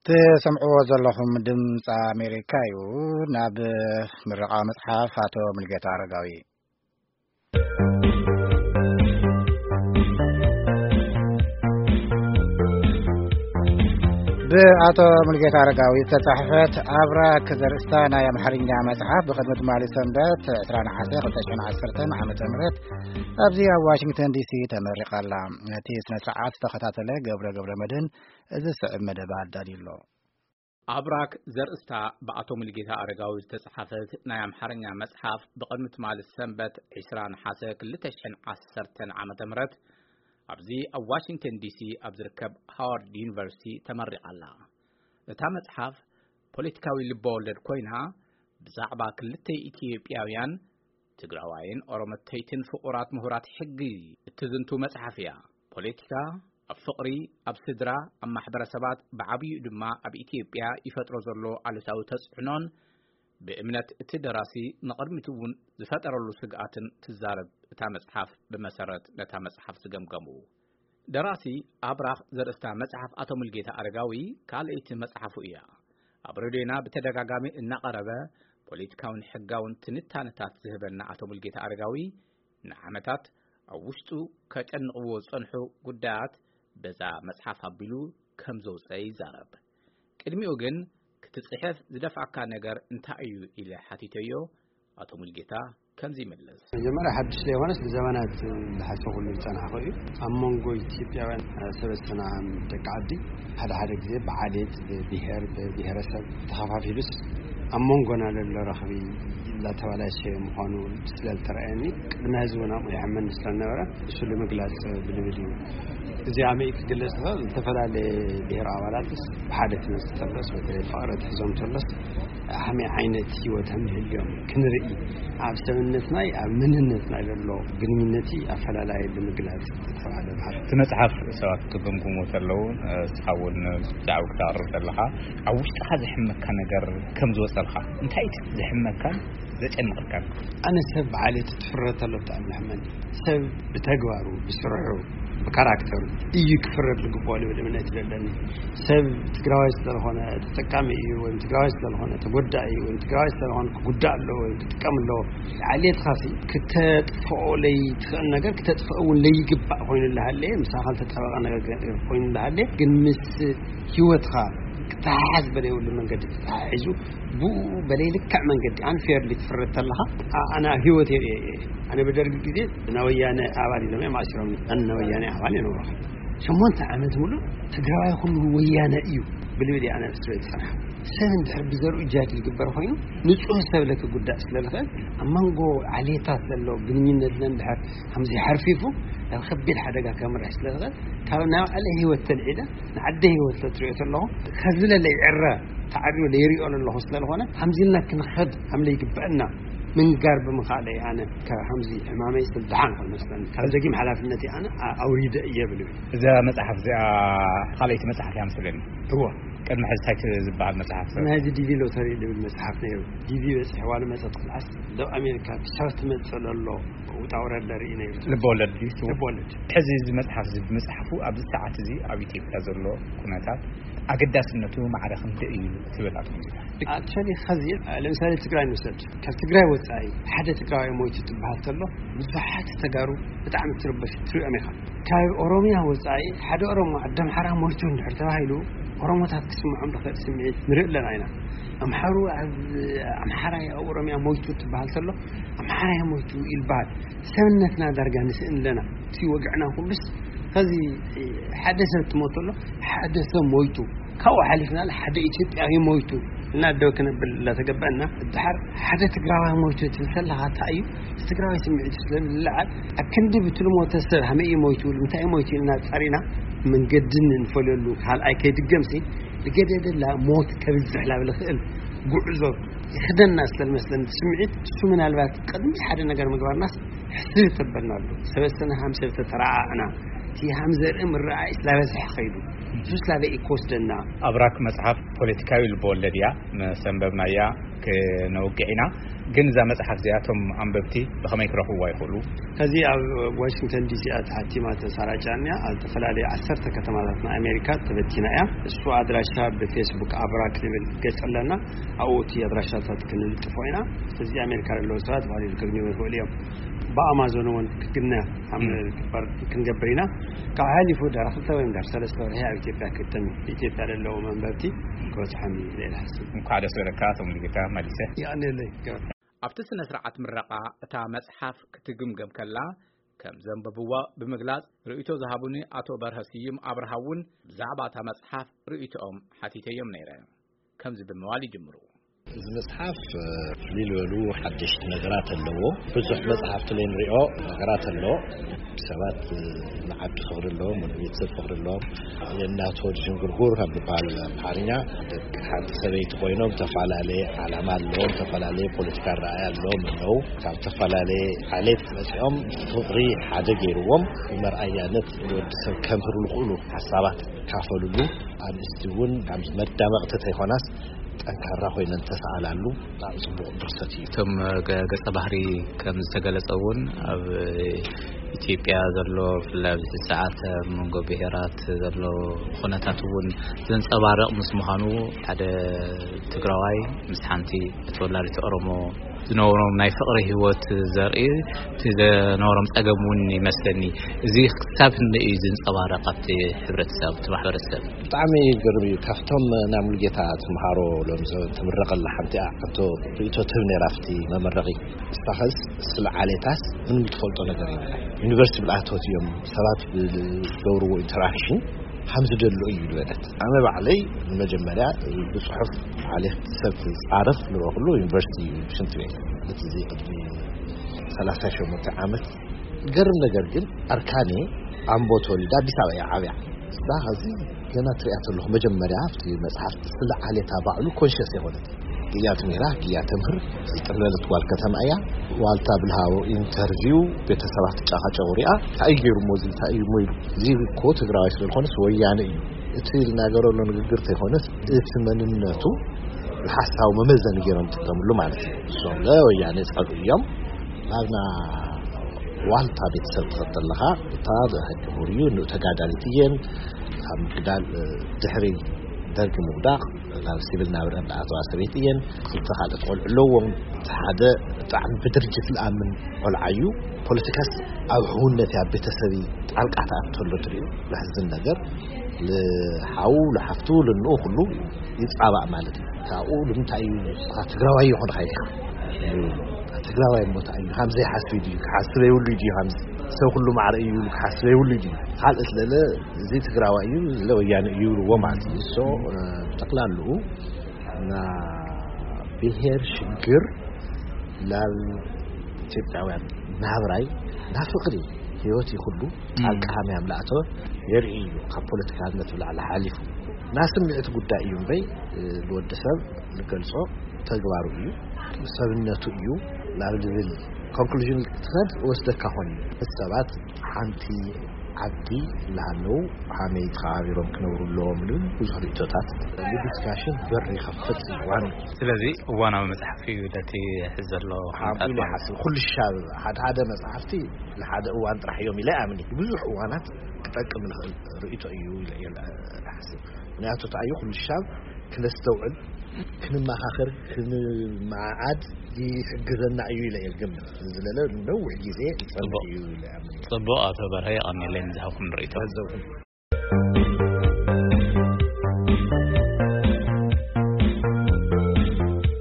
ትሰምዕዎ ዘለኹም ድምፂ ኣሜሪካ እዩ። ናብ ምርቓ መፅሓፍ ኣቶ ሙልጌታ ኣረጋዊ። ብኣቶ ሙልጌታ ኣረጋዊ ዝተጻሕፈት ኣብራክ ዘርእስታ ናይ ኣምሓርኛ መጽሓፍ ብቕድሚ ትማሊ ሰንበት ዕስራ ነሓሰ ክልተ ሽሕን ዓሰርተን ዓመተ ምህረት ኣብዚ ኣብ ዋሽንግተን ዲሲ ተመሪቓ ኣላ። ነቲ ስነ ስርዓት ዝተኸታተለ ገብረ ገብረ መድህን እዚ ዝስዕብ መደብ ኣዳልዩ ኣሎ። ኣብራክ ዘርእስታ ብኣቶ ሙልጌታ ኣረጋዊ ዝተጻሕፈት ናይ ኣምሓርኛ መጽሓፍ ብቕድሚ ትማሊ ሰንበት ዕስራ ነሓሰ ክልተ ሽሕን ዓሰርተን ዓመተ ምህረት ኣብዚ ኣብ ዋሽንግተን ዲሲ ኣብ ዝርከብ ሃዋርድ ዩኒቨርሲቲ ተመሪቓ ኣላ። እታ መጽሓፍ ፖለቲካዊ ልበወለድ ኮይና፣ ብዛዕባ ክልተ ኢትዮጵያውያን ትግራዋይን ኦሮመተይትን ፍቑራት ምሁራት ሕጊ እትዝንቱ መጽሓፍ እያ። ፖለቲካ፣ ኣብ ፍቕሪ፣ ኣብ ስድራ፣ ኣብ ማሕበረሰባት፣ ብዓብይኡ ድማ ኣብ ኢትዮጵያ ይፈጥሮ ዘሎ ኣሉታዊ ተጽዕኖን ብእምነት እቲ ደራሲ ንቕድሚት እውን ዝፈጠረሉ ስግኣትን ትዛረብ እታ መጽሓፍ። ብመሰረት ነታ መጽሓፍ ዝገምገሙ ደራሲ ኣብራኽ ዘርእስታ መጽሓፍ ኣቶ ሙልጌታ ኣረጋዊ ካልኣይቲ መጽሓፉ እያ። ኣብ ሬድዮና ብተደጋጋሚ እናቐረበ ፖለቲካውን ሕጋውን ትንታነታት ዝህበና ኣቶ ሙልጌታ ኣረጋዊ ንዓመታት ኣብ ውሽጡ ከጨንቕዎ ዝጸንሑ ጉዳያት በዛ መጽሓፍ ኣቢሉ ከም ዘውጸ ይዛረብ። ቅድሚኡ ግን ክትጽሕፍ ዝደፍኣካ ነገር እንታይ እዩ ኢለ ሓቲተዮ። ኣቶ ሙልጌታ ከምዚ ይመልስ። መጀመርያ ሓድሽ ዘይኮነስ ብዘመናት ዝሓሰብኩሉ ዝጸናሕኩ እዩ። ኣብ መንጎ ኢትዮጵያውያን ሰበስትና ደቂ ዓዲ ሓደ ሓደ ግዜ ብዓሌት፣ ብብሄር፣ ብብሄረሰብ ተኸፋፊሉስ ኣብ መንጎና ዘሎ ረኽቢ እንዳተበላሸየ ምዃኑ ስለ ዝተረኣየኒ ቅድሚ ህዝቢ እውን ኣብኡ ይሕመኒ ስለ ዝነበረ እሱ ንምግላጽ ብልብል እዩ። እዚ ኣመይ ክግለጽ ዝኽእል ዝተፈላለየ ብሄር ኣባላትስ ብሓደ ክመጽእ ከሎስ በተለይ ፍቕሪ ትሕዞም ከሎስ ከመይ ዓይነት ህይወት ከም ዝህልዮም ክንርኢ ኣብ ሰብነትናይ ኣብ መንነትናይ ዘሎ ግንኙነቲ ኣፈላላይ ብምግላጽ ዝተባህለ ባህል። እቲ መጽሓፍ ሰባት ክግምግሞ ከለዉ፣ እ፣ ንስኻ እውን ብዛዕባ ክተቕርብ ከለኻ ኣብ ውሽጥኻ ዘሕመካ ነገር ከም ዝወጸልካ እንታይ እቲ ዘሕመካን ዘጨንቐካን? ኣነ ሰብ ብዓሌቱ ትፍረ ተሎ ብጣዕሚ ይሕመኒ። ሰብ ብተግባሩ፣ ብስርሑ፣ ብካራክተሩ እዩ ክፍረድ ዝግብኦ ልብል እምነት እዩ ዘለኒ። ሰብ ትግራዋይ ስለዝኾነ ተጠቃሚ እዩ፣ ወይም ትግራዋይ ስለዝኾነ ተጎዳኢ እዩ፣ ወይም ትግራዋይ ስለዝኾነ ክጉዳእ ኣለዎ ወይም ክጥቀም ኣለዎ። ዓሌትኻሲ ክተጥፍኦ ለይትኽእል ነገር ክተጥፍኦ እውን ለይግባእ ኮይኑ እንዳሃለየ፣ ምሳኻ ዝተጣበቐ ነገር ኮይኑ እንዳሃለየ፣ ግን ምስ ህይወትኻ ክተሓሓዝ በለይብሉ መንገዲ ተተሓሒዙ፣ ብኡ በለይ ልክዕ መንገዲ ኣንፌርሊ ትፍረድ ተለኻ፣ ኣ-፣ ኣነ ኣብ ህይወት የርእየ እየ። ኣነ ብደርጊ ግዜ ናይ ወያነ ኣባል ኢሎም እዮም ኣሲሮም። ኣነ ናይ ወያነ ኣባል የነበርኩ። ሸሞንተ ዓመት ሙሉእ ትግራዋይ ኩሉ ወያነ እዩ ብልብል እየ ኣነ ኣብ እስር ቤት ዝጸንሐ። ሰብ እንድሕር ብዘርኡ ጃድ ዝግበር ኮይኑ፣ ንጹህ ሰብ ለክጉዳእ ስለ ዝኽእል፣ ኣብ መንጎ ዓሌታት ዘሎ ግንኙነት እንድሕር ከምዚ ሓርፊፉ፣ ናብ ከቢድ ሓደጋ ከምርሕ ስለ ዝኽእል፣ ካብ ናይ ባዕለ ህይወት ተልዒለ ንዓደ ህይወት ለትሪኦ ተለኹ፣ ከዚ ለለይዕረ ተዓርዮ ለይሪኦ ለለኹ ስለ ዝኾነ፣ ከምዚ ኢልና ክንኸድ ከም ለይግበአና ምንጋር ብምኽኣለይ ኣነ ካብ ከምዚ ሕማመይ ስለ ድሓን ክመስለኒ፣ ካብ ደጊም ሓላፍነተይ ኣነ ኣ-፣ ኣውሪደ እየ ብል። እዛ መጽሓፍ እዚኣ ካልኣይቲ መጽሓፍ እያ መስለኒ። እወ። ቅድሚ ሕዚ እንታይ ዝበሃል መጽሓፍ? ናይ ዲቪ ሎተሪ ዝብል መጽሓፍ ነይሩ። ዲቪ በጺሕዋ ንመጸት ክልኣስ ደብ ኣሜሪካ ክሳብ ትመጽእ ለሎ ውጣ ውረድ ለርኢ ነይሩ። ልበወለድ ድዩ? ልበወለድ። ሕዚ እዚ መጽሓፍ እዚ ብምጽሓፉ ኣብዚ ሰዓት እዚ ኣብ ኢትዮጵያ ዘሎ ኩነታት ኣገዳስነቱ ማዕረ ክንደይ እዩ ትብል ኣቶ ሙሉጌታ? ኣክቹዋሊ፣ ኸዚ ለምሳሌ ትግራይ ንውሰድ። ካብ ትግራይ ወጻኢ ሓደ ትግራዋይ ሞይቱ ትበሃል ከሎ ብዙሓት ተጋሩ ብጣዕሚ ትርበሽ ትሪኦም ኢኻ። ካብ ኦሮሚያ ወጻኢ ሓደ ኦሮሞ ዓዲ ኣምሓራ ሞይቱ እንድሕር ተባሂሉ ኦሮሞታት ክስምዖም ዝኽእል ስምዒት ንርኢ ኣለና ኢና። ኣምሓሩ ኣብ ኣምሓራይ ኣብ ኦሮሚያ ሞይቱ ትበሃል ከሎ ኣምሓራይ ሞይቱ ይልበሃል። ሰብነትና ዳርጋ ንስእን ኣለና። እቲ ወግዕና ኩሉስ ኸዚ ሓደ ሰብ ትሞት ኣሎ፣ ሓደ ሰብ ሞይቱ፣ ካብኡ ሓሊፍና ሓደ ኢትዮጵያዊ ሞይቱ እና ደው ክነብል እናተገበአና፣ ድሓር ሓደ ትግራዋይ ሞይቱ ትብል ከለኻ እንታይ እዩ? እቲ ትግራዋይ ስምዒት ስለ ዝለዓል፣ ኣብ ክንዲ ብቲ ልሞተ ሰብ ሃመይ እዩ ሞይቱ፣ ንምንታይ እዩ ሞይቱ ኢልና ጸሪና መንገዲ ንፈልየሉ ካልኣይ ከይድገምሲ፣ ዝገደደላ ሞት ከብዝሕ ላብ ዝኽእል ጉዕዞ ይኽደና ስለ ዝመስለኒ እቲ ስምዒት እሱ ምናልባት ቅድሚ ሓደ ነገር ምግባርናስ ሕስብ ተበልና ኣሎ። ሰበሰና ሃም ሰብ ተተረኣኣና እቲ ሃም ዘርኢ ምረኣይ ስላበዝሐ ኸይዱ፣ እሱ ስላበ ኢኮ ወስደና። ኣብራክ መጽሓፍ ፖለቲካዊ ልቦወለድ እያ። ምስ ኣንበብናያ ክነውግዕ ኢና። ግን እዛ መጽሓፍ እዚኣቶም ኣንበብቲ ብኸመይ ክረኽብዋ ይኽእሉ? ከዚ ኣብ ዋሽንግተን ዲሲ እያ ተሓቲማ ተሰራጫ እያ። ኣብ ዝተፈላለዩ ዓሰርተ ከተማታት ናይ ኣሜሪካ ተበቲና እያ። እሱ ኣድራሻ ብፌስቡክ ኣብራክ ንብል ገጽ ኣለና። ኣብኡ እቲ ኣድራሻታት ክንልጥፎ ኢና። ስለዚ ኣሜሪካ ዘለዉ ሰባት ብቐሊሉ ከግንዩ ይኽእሉ እዮም። ብኣማዞን እውን ክግነ ኣብ ግበር ክንገብር ኢና። ካብ ሓሊፉ ዳር ክልተ ወይ ዳር ሰለስተ ወርሒ ኣብ ኢትዮጵያ ክእተም እዩ። ኢትዮጵያ ዘለዉ መንበብቲ ክበጽሖም እዩ ኢለ እየ ዝሓስብ። እንኳዕ ደስ በለካ ኣቶ ሙሉጌታ መሊሰ። የቐንየለይ። ኣብቲ ስነ ስርዓት ምረቓ እታ መጽሓፍ ክትግምገም ከላ ከም ዘንበብዋ ብምግላጽ ርእይቶ ዝሃቡኒ ኣቶ በርሀ ስዩም ኣብርሃ እውን ብዛዕባ እታ መጽሓፍ ርእይቶኦም ሓቲተዮም ነይረ። ከምዚ ብምባል ይጅምሩ። እዚ መጽሓፍ ፍልይ ዝበሉ ሓደሽቲ ነገራት ኣለዎ። ብዙሕ መጽሓፍቲ ለይ ንሪኦ ነገራት ኣሎ። ሰባት ንዓዲ ፍቕሪ ኣለዎም፣ ንቤተሰብ ፍቕሪ ኣለዎም። የእናት ሆድ ዥንጉርጉር ከም ዝበሃል ኣምሓርኛ፣ ደቂ ሓንቲ ሰበይቲ ኮይኖም ዝተፈላለየ ዓላማ ኣለዎም፣ ዝተፈላለየ ፖለቲካ ረኣያ ኣለዎም ኣለዉ። ካብ ዝተፈላለየ ዓሌት መጺኦም ፍቕሪ ሓደ ገይርዎም፣ ብመርኣያነት ንወዲ ሰብ ከምህሩ ዝኽእሉ ሓሳባት ካፈልሉ፣ ኣንስቲ እውን ካብ መዳመቕቲ ተይኮናስ ጠንካራ ኮይነን ተሰኣላሉ ብጣዕሚ ጽቡቕ ድርሰት እዩ። እቶም ገ-፣ ገጸ ባህሪ ከም ዝተገለጸ እውን ኣብ ኢትዮጵያ ዘሎ ብፍላይ ኣብዚ ሰዓት ኣብ መንጎ ብሄራት ዘሎ ኩነታት እውን ዘንጸባርቕ ምስ ምዃኑ ሓደ ትግራዋይ ምስ ሓንቲ ተወላዲት ኦሮሞ ዝነበሮም ናይ ፍቕሪ ህይወት ዘርኢ እቲ ዘነበሮም ጸገም እውን ይመስለኒ። እዚ ክሳብ ክንደይ እዩ ዝንጸባረቕ ኣብቲ ሕብረተሰብ፣ ኣብቲ ማሕበረሰብ? ብጣዕሚ ይገርም እዩ። ካብቶም ናይ ሙሉጌታ ትምሃሮ ሎም ትምረቐላ ሓንቲ እያ። ሕቶ ርእይቶ ትህብ ነይራ ኣብቲ መመረቒ። ንሳኸስ ስለ ዓሌታስ ምንም ትፈልጦ ነገር የብላ። ዩኒቨርሲቲ ብልኣቶት እዮም ሰባት ብዝገብርዎ ኢንተራክሽን ከም ዝደልኦ እዩ ዝበለት። ኣነ ባዕለይ ንመጀመርያ ብጽሑፍ ዓሌት ሰብ ክጻረፍ ዝረኸሉ ዩኒቨርሲቲ ሽንቲ ቤት። እቲ እዚ ቅድሚ ሰላሳ ሸሞንተ ዓመት። ዝገርም ነገር ግን ኣርካኔ ኣምቦ ተወሊዳ ኣዲስ ኣበባ እያ ዓብያ። እዛ ኸዚ ገና ትሪኣ ተለኹ መጀመርያ ኣብቲ መጽሓፍ ስለ ዓሌታ ባዕሉ ኮንሽስ የኾነት። ግያ ትምህራ፣ ግያ ተምህር፣ ዝጥለለት ጓል ከተማ እያ። ዋልታ ብልሃቦ ኢንተርቪው ቤተሰባት ትጫኻጨቑ ሪኣ፣ እንታይ እዩ ገይሩ እሞ እዚ እንታይ እዩ እሞ ኢሉ። እዚ እኮ ትግራዋይ ስለ ዝኾነስ ወያነ እዩ። እቲ ዝናገረሉ ንግግር ተይኮነስ እቲ መንነቱ ብሓሳዊ መመዘኒ ገይሮም ይጥቀምሉ ማለት እዩ። እሶም ለወያነ ጸልኡ እዮም። ናብና ዋልታ ቤተሰብ ትኸድ ኣለኻ፣ እታ ሕጂ ምሁር እዩ፣ ንኡ ተጋዳሊት እየን። ካብ ምግዳል፣ እ፣ ድሕሪ ደርጊ ምውዳቕ ናብ ሲቪል ናብራ እንዳኣተዋ ሰበይቲ እየን። ክልተ ካልኦት ቆልዑ ኣለዎም። እቲ ሓደ ብጣዕሚ ብድርጅት ዝኣምን ቆልዓ እዩ። ፖለቲካስ ኣብ ሕውነት ኣብ ቤተሰብ ጣልቃ ተኣትተሎ ትሪኡ። ለሕዝን ነገር፣ ልሓው፣ ልሓፍቱ፣ ልንኡ ኩሉ ይጻባእ ማለት እዩ። ካብኡ ንምንታይ እዩ ንስኻ ትግራዋይ ይኾንካ ኢልካ? ትግራዋይ እሞ እንታይ እዩ? ሃምዘ ይሓስብ ድዩ? ክሓስብ የብሉ ድዩ? ሃምዘ ሰብ ኩሉ ማዕረ እዩ ኢሉ ክሓስብ የብሉ ድዩ? ካልእ ስለለ እዚ ትግራዋይ እዩ፣ እዚ ወያነ እዩ ይብልዎ ማለት እዩ። ሶ፣ እ፣ ብጠቕላልኡ እና ብሄር ሽግር ላብ ኢትዮጵያውያን ናብራይ ናብ ፍቕሪ ህይወት ይኹሉ ጣልቃ ሃመ ያምላእቶ የርኢ እዩ። ካብ ፖለቲካነት ብላዕሊ ሓሊፉ ናይ ስምዒት ጉዳይ እዩ እምበይ፣ እ፣ ንወዲ ሰብ ንገልጾ ተግባሩ እዩ፣ ሰብነቱ እዩ ናብ ዝብል ኮንክሉዥን ክትኸድ ወስደካ ኾን እዩ። ሰባት ሓንቲ ዓዲ እናሃለዉ ሃመይ ተኸባቢሮም ክነብሩ ኣለዎም ዝብል ብዙሕ ርእይቶታት፣ ንዲስካሽን በር ይኸፍት እዩ ዋን። ስለዚ እዋናዊ መጽሓፍ እዩ ነቲ ሕዚ ዘሎ ኩነታት ሓምዱ ማለት ይሓስብ። ኩሉ ሻብ ሓደ ሓደ መጽሓፍቲ ንሓደ እዋን ጥራሕ እዮም ኢለ ኣምኒ። ብዙሕ እዋናት ክጠቅም ንኽእል ርእይቶ እዩ ኢለ እየ ዝሓስብ። ምክንያቱ እንታይ እዩ፣ ኩሉ ሻብ ክነስተውዕል፣ ክንመኻኸር፣ ክንመዓዓድ ይሕግዘና እዩ ኢለ እየ ዝግምት። ስለለ ነዊሕ ግዜ ይጸንሕ ጽቡቕ። እዩ ኢለ ኣምኒ። ጽቡቕ ኣቶ በርሀ፣ የቐንየለይ ንዝሃብኩም ርእይቶ። ገንዘብኩም።